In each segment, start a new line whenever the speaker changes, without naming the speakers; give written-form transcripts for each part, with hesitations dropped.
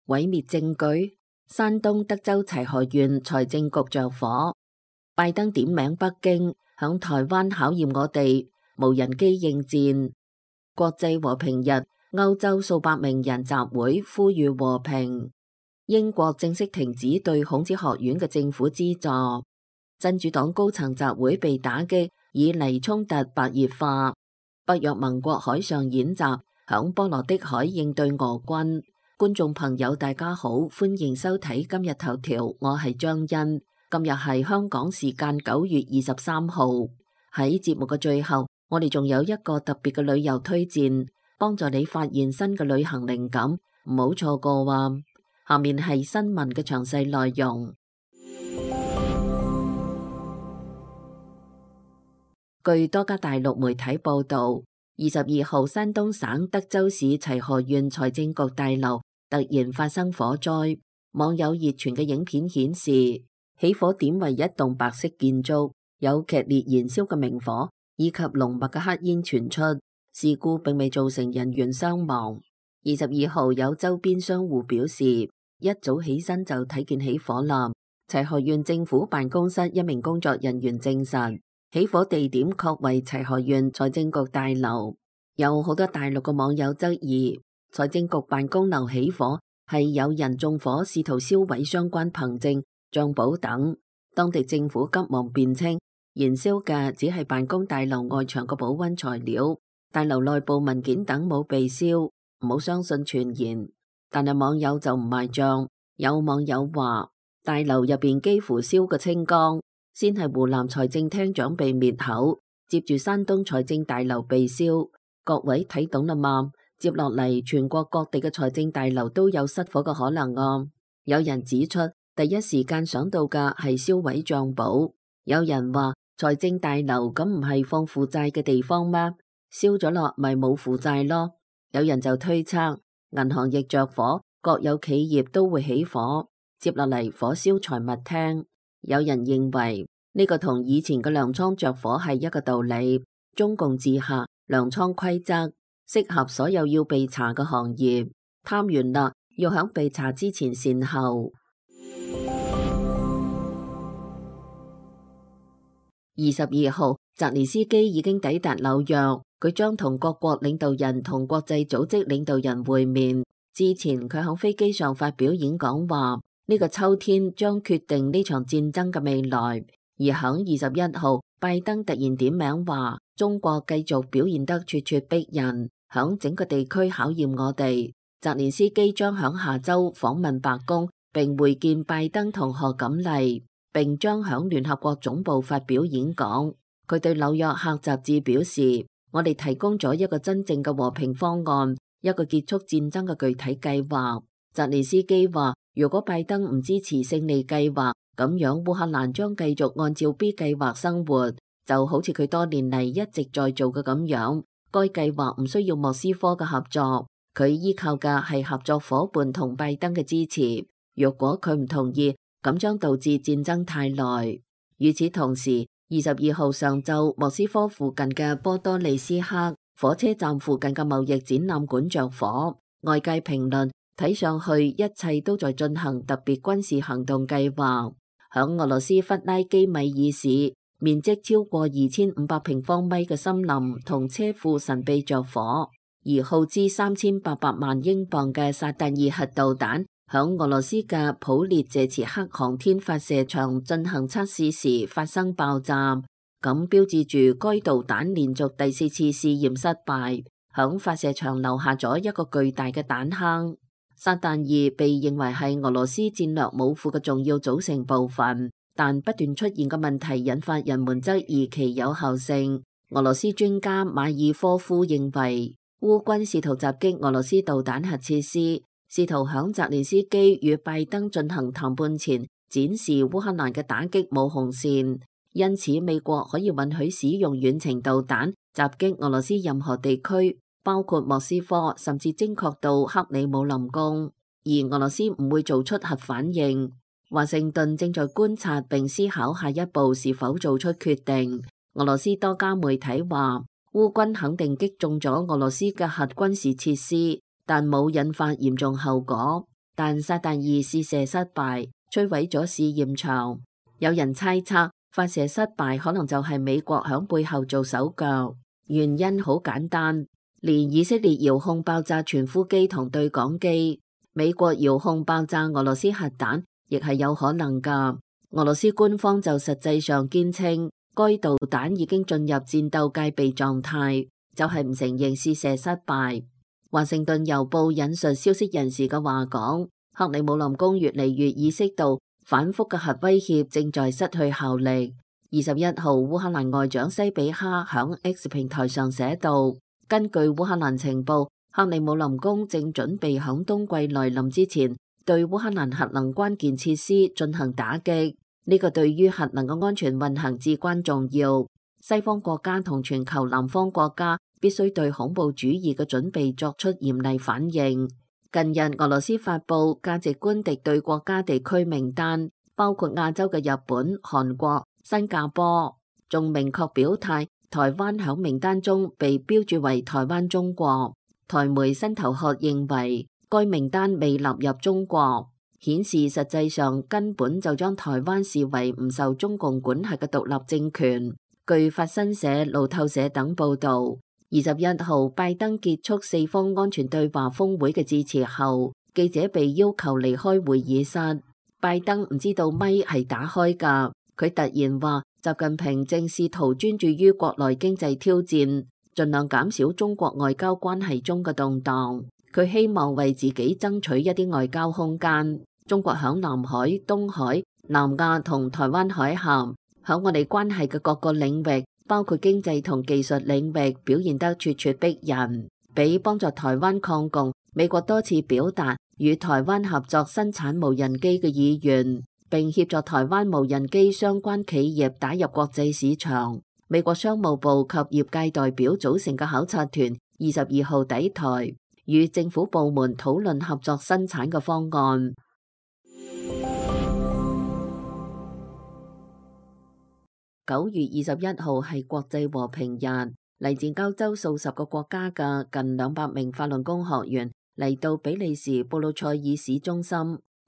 毀滅證據。山東德州齊河縣財政局着火。拜登點名北京，響台灣考驗我哋，無人機應戰。國際和平日，歐洲數百名人集會呼籲和平。英國正式停止對孔子學院嘅政府資助。真主黨高層集會被打擊，以嚟衝突白熱化。北約盟國海上演習，響波羅的海應對俄軍。觀眾朋友大家好，歡迎收睇今日頭條，我係張欣。今日係香港時間9月23號。喺節目嘅最後，我哋仲有一個特別嘅旅遊推薦，幫助你發現新嘅旅行靈感，唔好錯過喎。下面係新聞嘅詳細內容。據多家大陸媒體報道，22號山東省德州市齊河縣財政局大樓突然發生火災。網友熱傳嘅影片顯示，起火點為一棟白色建築，有劇烈燃燒嘅明火以及濃密嘅黑煙傳出。事故並未造成人員傷亡。22號有周邊商戶表示，一早起身就睇見起火啦。齊河縣政府辦公室一名工作人員證實，起火地點確為齊河縣財政局大樓。有好多大陸嘅網友質疑，財政局辦公樓起火係有人縱火，試圖燒毀相關憑證、賬簿等。當地政府急忙辯稱，燃燒嘅只係辦公大樓外牆嘅保溫材料，大樓內部文件等冇被燒，唔好相信傳言。但係網友就唔賣賬，有網友話大樓入邊幾乎燒個清光，先係湖南財政廳長被滅口，接住山東財政大樓被燒。各位睇懂啦嘛？接落嚟全國各地嘅財政大樓都有失火嘅可能啊！有人指出，第一時間想到嘅係燒毀賬簿。有人話財政大樓咁唔係放負債嘅地方咩？燒咗落咪冇負債咯。有人就推測銀行亦着火，國有企業都會起火。接落嚟火燒財物廳。有人認為呢個同以前嘅糧倉着火係一個道理。中共治下糧倉規則適合所有要被查嘅行業。貪完啦，要響被查之前善後。22號，澤連斯基已經抵達紐約，佢將同各國領導人同國際組織領導人會面。之前佢響飛機上發表演講話，呢個秋天將決定呢場戰爭嘅未來。而響21號，拜登突然點名話，中國繼續表現得咄咄逼人，響整個地區考驗我哋。澤連斯基將響下周訪問白宮，並會見拜登同賀錦麗，並將響聯合國總部發表演講。佢對紐約客雜誌表示，我哋提供咗一個真正嘅和平方案，一個結束戰爭嘅具體計劃。澤連斯基話，如果拜登唔支持勝利計劃，咁樣烏克蘭將繼續按照 B 計劃生活，就好似佢多年嚟一直在做嘅咁樣。該計劃唔需要莫斯科嘅合作，佢依靠嘅係合作伙伴同拜登嘅支持。若果佢唔同意，咁將導致戰爭太耐。與此同時，22號上晝，莫斯科附近嘅波多利斯克火車站附近嘅貿易展覽館着火，外界評論睇上去一切都在進行特別軍事行動計劃。響俄羅斯弗拉基米爾市，面積超過2500平方米嘅森林同車庫神秘着火，而耗資3800萬英鎊嘅薩達爾核導彈響俄羅斯嘅普列謝茨克航天發射場進行測試時發生爆炸，咁標誌住該導彈連續第4次試驗失敗，響發射場留下咗一個巨大嘅彈坑。薩達爾被認為係俄羅斯戰略武庫嘅重要組成部分，但不斷出現嘅問題引發人們質疑其有效性。俄羅斯專家馬爾科夫認為，烏軍試圖襲擊俄羅斯導彈核設施，試圖響澤連斯基與拜登進行談判前展示烏克蘭嘅打擊冇紅線，因此美國可以允許使用遠程導彈襲擊俄羅斯任何地區，包括莫斯科，甚至精確到克里姆林宮，而俄羅斯唔會做出核反應。華盛頓正在觀察並思考下一步是否做出決定。俄羅斯多家媒體話，烏軍肯定擊中咗俄羅斯嘅核軍事設施，但冇引發嚴重後果。但撒旦2試射失敗，摧毀咗試驗場。有人猜測發射失敗可能就係美國響背後做手腳，原因好簡單，連以色列遙控爆炸傳呼機同對講機，美國遙控爆炸俄羅斯核彈亦係有可能㗎。俄羅斯官方就實際上堅稱該導彈已經進入戰鬥戒備狀態，就係唔承認試射失敗。華盛頓郵報引述消息人士嘅話講，克里姆林宮越嚟越意識到反覆嘅核威脅正在失去效力。21號，烏克蘭外長西比哈響 X 平台上寫道，根據烏克蘭情報，克里姆林宮正準備響冬季來臨之前對烏克蘭核能關鍵設施進行打擊。呢個對於核能嘅安全運行至關重要。西方國家同全球南方國家必須對恐怖主義嘅準備作出嚴厲反應。近日，俄羅斯發布價值觀敵對國家地區名單，包括亞洲嘅日本、韓國、新加坡，仲明確表態台灣響名單中被標注為台灣中國。台媒新頭殼認為該名單未納入中國，顯示實際上根本就將台灣視為唔受中共管轄嘅獨立政權。據法新社、路透社等報道，21號拜登結束四方安全對話峰會嘅致辭後，記者被要求離開會議室。拜登唔知道咪係打開㗎，佢突然話習近平正試圖專注於國內經濟挑戰，盡量減少中國外交關係中嘅動盪。佢希望為自己爭取一啲外交空間。中國響南海、東海、南亞同台灣海峽，響我哋關係嘅各個領域，包括經濟同技術領域，表現得咄咄逼人。比幫助台灣抗共，美國多次表達與台灣合作生產無人機嘅意願，並協助台灣無人機相關企業打入國際市場。美國商務部及業界代表組成嘅考察團22號抵台，與政府部門討論合作生產嘅方案。9月21號係國際和平日，嚟自歐洲數十個國家嘅近200名法輪功學員嚟到比利時布魯塞爾市中心，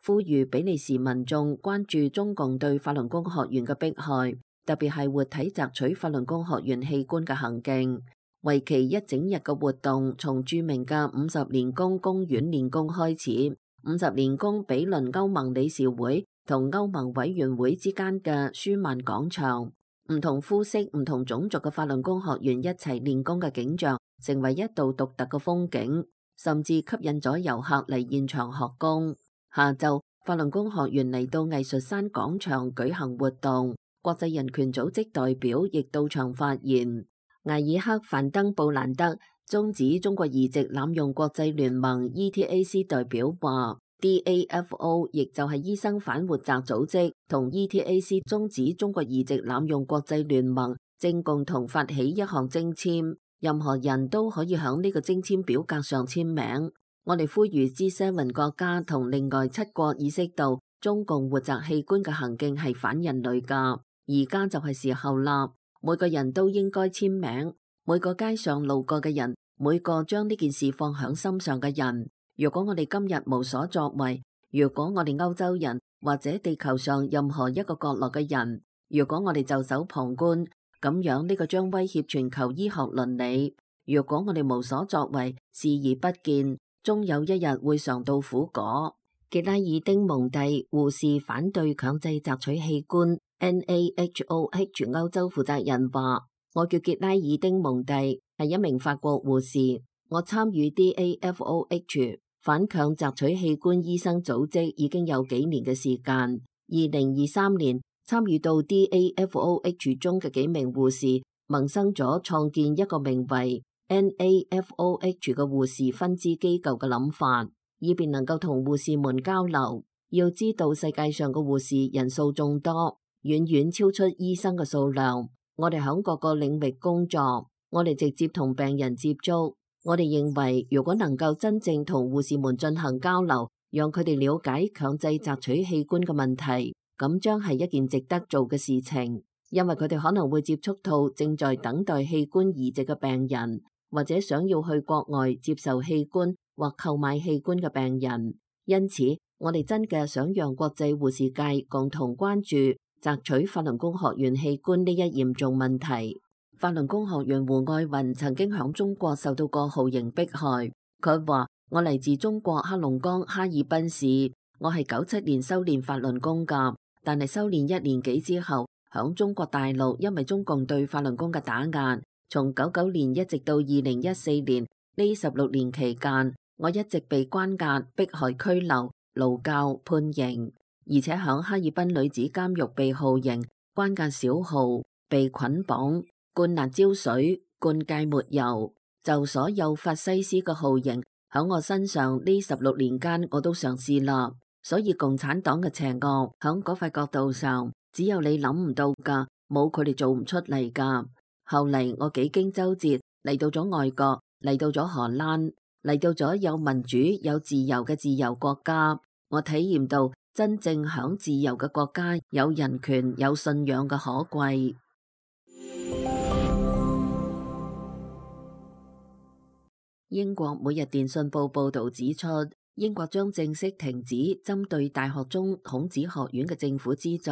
呼籲比利時民眾關注中共對法輪功學員嘅迫害，特別係活體摘取法輪功學員器官嘅行徑。為期一整日嘅活動，從著名嘅50年宮公園練功開始。50年宮毗鄰歐盟理事會同歐盟委員會之間嘅舒曼廣場。唔同膚色、唔同種族嘅法輪功學員一齊練功嘅景象，成為一道獨特嘅風景，甚至吸引咗遊客嚟現場學功。下晝，法輪功學員嚟到藝術山廣場舉行活動，國際人權組織代表亦到場發言。艾爾克范登布蘭德終止中國移植濫用國際聯盟 ETAC 代表話，DAFO 亦就係醫生反活摘組織同 ETAC 終止中國移植濫用國際聯盟正共同發起一項徵簽，任何人都可以響呢個徵簽表格上簽名。我哋呼籲 G7 國家同另外7國意識到中共活摘器官嘅行徑係反人類噶，而家就係時候啦，每個人都應該簽名，每個街上路過嘅人，每個將呢件事放響心上嘅人。如果我哋今日無所作為，如果我哋歐洲人或者地球上任何一個角落嘅人，如果我哋袖手旁觀，咁樣呢個將威脅全球醫學倫理。如果我哋無所作為，視而不見，終有一日會嘗到苦果。傑拉爾丁蒙蒂護士反對強制摘取器官 NAHOH 歐洲負責人話：我叫傑拉爾丁蒙蒂，係一名法國護士，我參與 DAFOH 反強摘取器官醫生組織已經有幾年嘅時間。2023年參與到 DAFOH 中嘅幾名護士萌生咗創建一個名為 NAFOH 嘅護士分支機構嘅諗法，以便能夠同護士們交流。要知道世界上嘅護士人數眾多，遠遠超出醫生嘅數量。我哋喺各個領域工作，我哋直接同病人接觸。我哋認為，如果能夠真正同護士們進行交流，讓佢哋了解強制摘取器官嘅問題，咁將係一件值得做嘅事情。因為佢哋可能會接觸到正在等待器官移植嘅病人，或者想要去國外接受器官或購買器官嘅病人。因此，我哋真嘅想讓國際護士界共同關注摘取法輪功學員器官呢一嚴重問題。法輪功學員胡愛雲曾經響中國受到過酷刑迫害。佢話：我嚟自中國黑龍江哈爾濱市，我係97年修煉法輪功㗎，但係修煉1年幾之後，響中國大陸因為中共對法輪功嘅打壓，從99年一直到2014年呢16年期間，我一直被關押、迫害、拘留、勞教、判刑，而且響哈爾濱女子監獄被酷刑、關押小號、被捆綁、灌辣椒水、灌芥末油，就所有法西斯嘅酷刑響我身上呢16年間我都嘗試啦。所以共產黨嘅邪惡響嗰塊角度上，只有你諗唔到噶，冇佢哋做唔出嚟噶。後嚟我幾經周折嚟到咗外國，嚟到咗荷蘭，嚟到咗有民主有自由嘅自由國家，我體驗到真正響自由嘅國家有人權有信仰嘅可貴。英國每日電訊報報道指出，英國將正式停止針對大學中孔子學院嘅政府資助。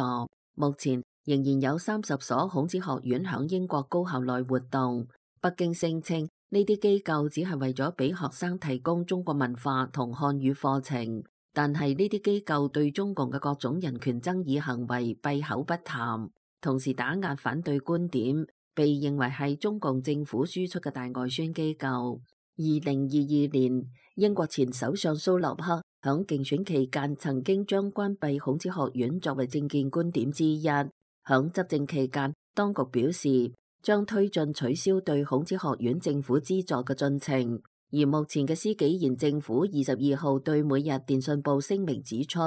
目前仍然有30所孔子學院響英國高校內活動。北京聲稱呢啲機構只係為咗俾學生提供中國文化同漢語課程，但係呢啲機構對中共嘅各種人權爭議行為閉口不談，同時打壓反對觀點，被認為係中共政府輸出嘅大外宣機構。2022年，英國前首相蘇洛克響競選期間曾經將關閉孔子學院作為政見觀點之一。響執政期間，當局表示將推進取消對孔子學院政府資助嘅進程。而目前嘅施紀賢政府22號對每日電訊報聲明指出，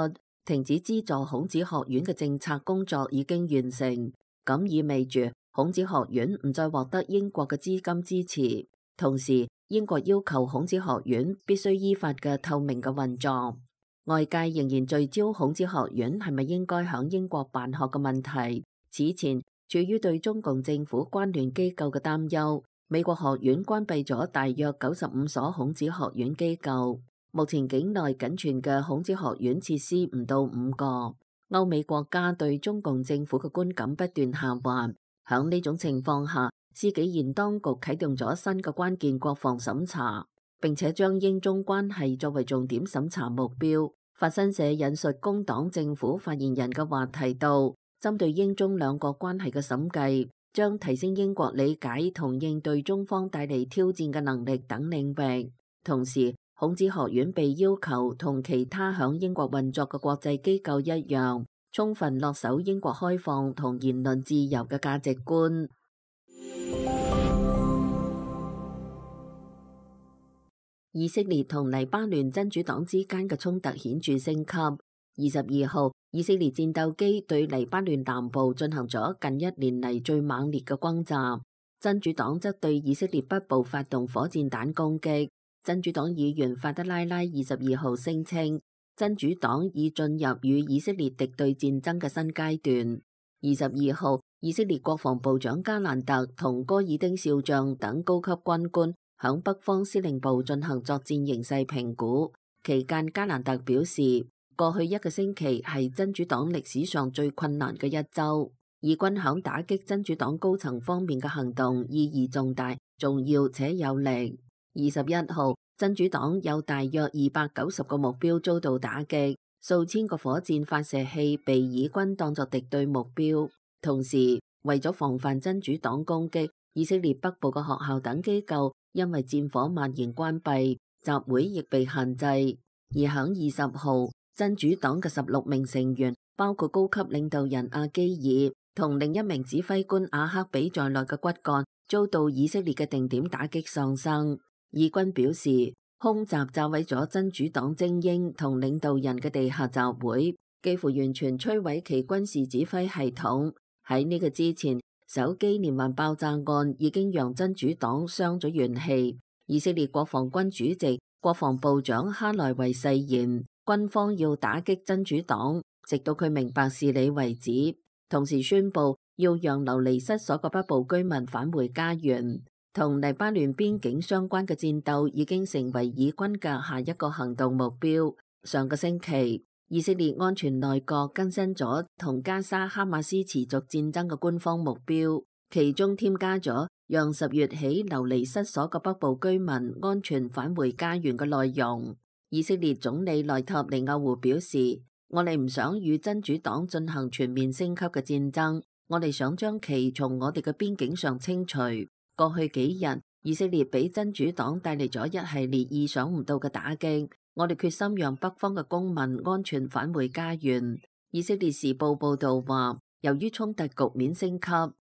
停止資助孔子學院嘅政策工作已經完成，咁意味住孔子學院唔再獲得英國嘅資金支持。同時，英國要求孔子學院必須依法嘅透明嘅運作。外界仍然聚焦孔子學院係咪應該響英國辦學嘅問題。此前，處於對中共政府關聯機構嘅擔憂，美國學院關閉咗大約95所孔子學院機構。目前境內僅存嘅孔子學院設施唔到5個。歐美國家對中共政府嘅觀感不斷下滑。響呢種情況下，施紀賢當局啟動咗新嘅關鍵國防審查，並且將英中關係作為重點審查目標。法新社引述工黨政府發言人嘅話提到，針對英中兩國關係嘅審計，將提升英國理解同應對中方帶嚟挑戰嘅能力等領域。同時，孔子學院被要求同其他響英國運作嘅國際機構一樣，充分恪守英國開放同言論自由嘅價值觀。以色列同黎巴嫩真主黨之間嘅衝突顯著升級。22號，以色列戰鬥機對黎巴嫩南部進行咗近1年嚟最猛烈嘅轟炸，真主黨則對以色列北部發動火箭彈攻擊。真主黨議員法德拉拉22號聲稱，真主黨已進入與以色列敵對戰爭嘅新階段。22號，以色列國防部長加蘭特同戈爾丁少將等高級軍官響北方司令部進行作戰形勢評估期間，加蘭特表示，過去1個星期係真主黨歷史上最困難嘅一周。以軍響打擊真主黨高層方面嘅行動意義重大、重要且有力。21號，真主黨有大約290個目標遭到打擊，數千個火箭發射器被以軍當作敵對目標。同時，為咗防範真主黨攻擊，以色列北部嘅學校等機構因為戰火蔓延關閉，集會亦被限制。而響20號，真主黨嘅16名成員，包括高級領導人阿基爾同另一名指揮官阿克比在內嘅骨幹，遭到以色列嘅定點打擊喪生。以軍表示，空襲炸毀咗真主黨精英同領導人嘅地下集會，幾乎完全摧毀其軍事指揮系統。喺呢個之前，手機連環爆炸案已經讓真主黨傷咗元氣。以色列國防軍主席、國防部長哈萊維誓言，軍方要打擊真主黨，直到佢明白事理為止。同時宣布要讓流離失所嘅北部居民返回家園。同黎巴嫩邊境相關嘅戰鬥已經成為以軍嘅下一個行動目標。上個星期，以色列安全內閣更新咗同加沙哈馬斯持續戰爭嘅官方目標，其中添加咗讓10月起流離失所嘅北部居民安全返回家園嘅內容。以色列總理內塔尼亞胡表示：我哋唔想與真主黨進行全面升級嘅戰爭，我哋想將其從我哋嘅邊境上清除。過去幾日，以色列俾真主黨帶嚟咗一系列意想唔到嘅打擊，我哋決心讓北方嘅公民安全返回家園。以色列時報報道話，由於衝突局面升級，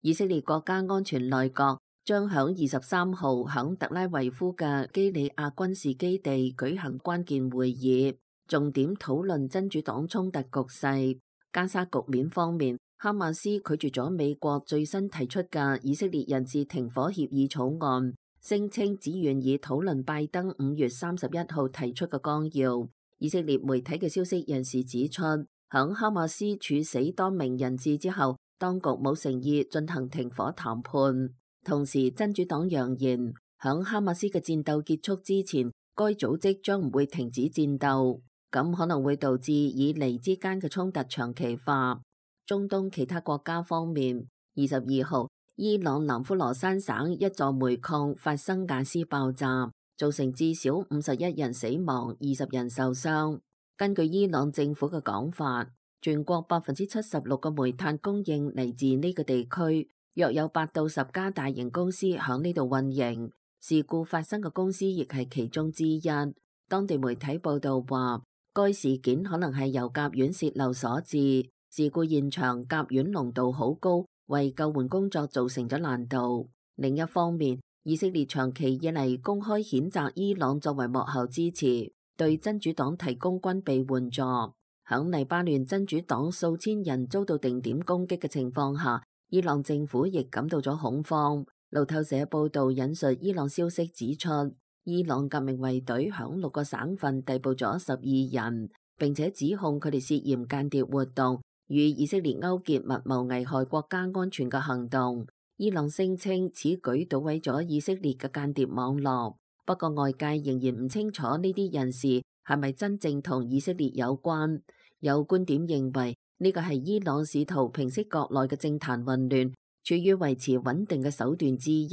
以色列國家安全內閣將響23號響特拉維夫嘅基里亞軍事基地舉行關鍵會議，重點討論真主黨衝突局勢。加沙局面方面，哈馬斯拒絕咗美國最新提出嘅以色列人質停火協議草案，聲稱只願意討論拜登5月31號提出嘅綱要。以色列媒體嘅消息人士指出，響哈馬斯處死多名人質之後，當局冇誠意進行停火談判。同時，真主黨揚言，響哈馬斯嘅戰鬥結束之前，該組織將唔會停止戰鬥，咁可能會導致以黎之間嘅衝突長期化。中東其他國家方面，22號，伊朗南呼羅珊省一座煤礦發生瓦斯爆炸，造成至少51人死亡，20人受傷。根據伊朗政府嘅講法，全國76%嘅煤炭供應嚟自呢個地區，約有8到10家大型公司響呢度運營。事故發生嘅公司亦係其中之一。當地媒體報道話，該事件可能係由甲烷洩漏所致。事故現場甲烷濃度好高，為救援工作造成咗難度。另一方面，以色列長期以嚟公開譴責伊朗作為幕後支持，對真主黨提供軍備援助。響黎巴嫩真主黨數千人遭到定點攻擊嘅情況下，伊朗政府亦感到咗恐慌。路透社報道引述伊朗消息指出，伊朗革命衛隊響6個省份逮捕咗12人，並且指控佢哋涉嫌間諜活動，與以色列勾結密謀危害國家安全嘅行動。伊朗聲稱此舉搗毀咗以色列嘅間諜網絡，不過外界仍然唔清楚呢啲人士係咪真正同以色列有關。有觀點認為呢個係伊朗試圖平息國內嘅政壇混亂，處於維持穩定嘅手段之一。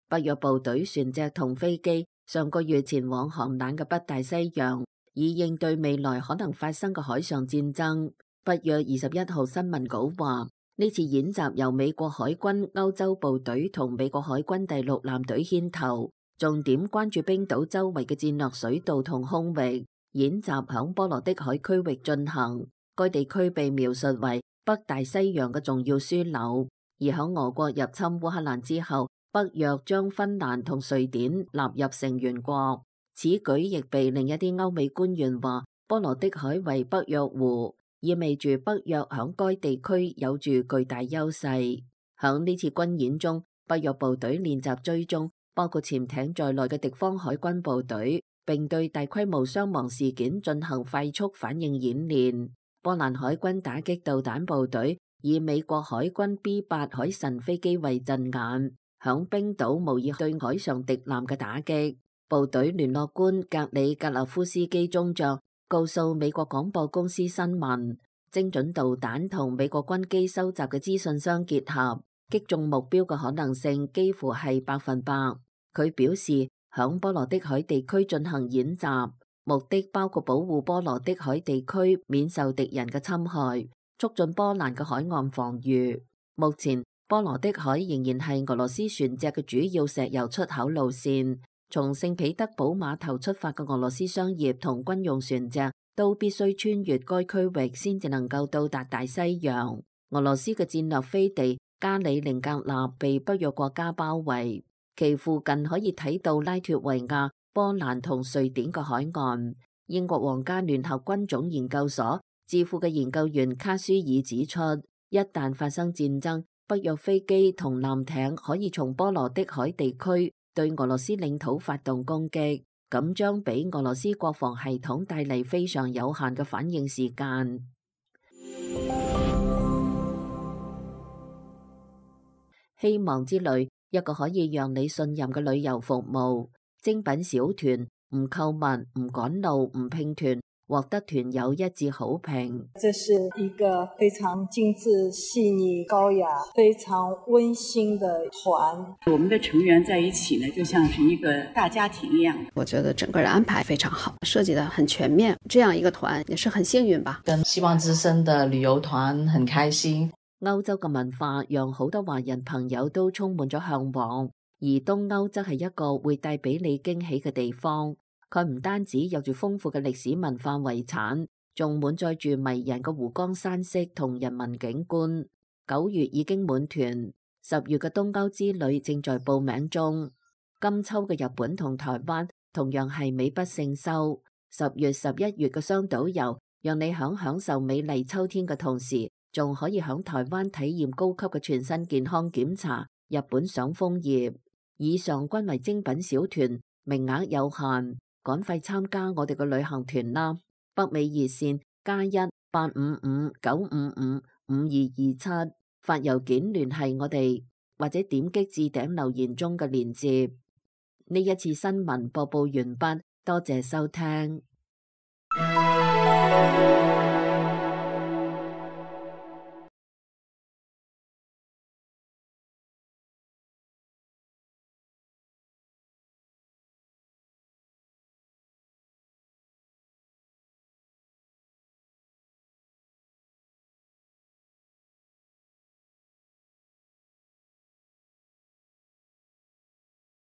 北約部隊船隻同飛機上個月前往寒冷嘅北大西洋，以應對未來可能發生嘅海上戰爭。北約21號新聞稿話，呢次演習由美國海軍歐洲部隊同美國海軍第6艦隊牽頭，重點關注冰島周圍嘅戰略水道同空域。演習響波羅的海區域進行，該地區被描述為北大西洋嘅重要樞紐。而響俄國入侵烏克蘭之後，北約將芬蘭同瑞典納入成員國。此舉亦被另一啲歐美官員話，波羅的海為北約湖，意味住北約響該地區有住巨大優勢。響呢次軍演中，北約部隊練習追蹤包括潛艇在內嘅敵方海軍部隊，並對大規模傷亡事件進行快速反應演練。波蘭海軍打擊導彈部隊以美國海軍 B8 海神飛機為陣眼，響冰島模擬對海上敵艦嘅打擊。部隊聯絡官格里格勒夫斯基中將告訴美國廣播公司新聞，精準導彈同美國軍機收集嘅資訊相結合，擊中目標嘅可能性幾乎係100%。佢表示，響波羅的海地區進行演習，目的包括保護波羅的海地區免受敵人嘅侵害，促進波蘭嘅海岸防禦。目前，波羅的海仍然係俄羅斯船隻嘅主要石油出口路線。從聖彼得堡碼頭出發嘅俄羅斯商業同軍用船隻都必須穿越該區域先至能夠到達大西洋。俄羅斯嘅戰略飛地加里寧格勒被北約國家包圍，其附近可以睇到拉脫維亞、波蘭同瑞典嘅海岸。英國皇家聯合軍種研究所智庫嘅研究員卡舒爾指出，一旦發生戰爭，北約飛機同艦艇可以從波羅的海地區對俄羅斯領土發動攻擊，咁將俾俄羅斯國防系統帶嚟非常有限嘅反應時間。希望之旅，一個可以讓你信任嘅旅遊服務。精品小團唔購物、唔趕路、唔拼團，獲得團友一致好評。
這是一個非常精緻、細膩、高雅、非常溫馨的團。
我們的成員在一起呢，就像是一個大家庭一樣。
我覺得整個人安排非常好，設計得很全面。這樣一個團也是很幸運吧。
跟希望之聲的旅遊團很開心。
歐洲嘅文化讓好多華人朋友都充滿咗向往。而東歐則係一個會帶俾你驚喜嘅地方，佢唔單止有住豐富嘅歷史文化遺產，仲滿載住迷人嘅湖光山色同人文景觀。9月已經滿團，10月嘅東歐之旅正在報名中。今秋嘅日本同台灣同樣係美不勝收。10月、11月嘅雙島遊，讓你享受美麗秋天嘅同時，仲可以響台灣體驗高級嘅全身健康檢查，日本賞楓葉。以上均為精品小團，名額有限，趕快參加我哋嘅旅行團啦！北美熱線+1-855-955-5227，發郵件聯繫我哋，或者點擊置頂留言中嘅鏈接。呢一次新聞播報完畢，多謝收聽。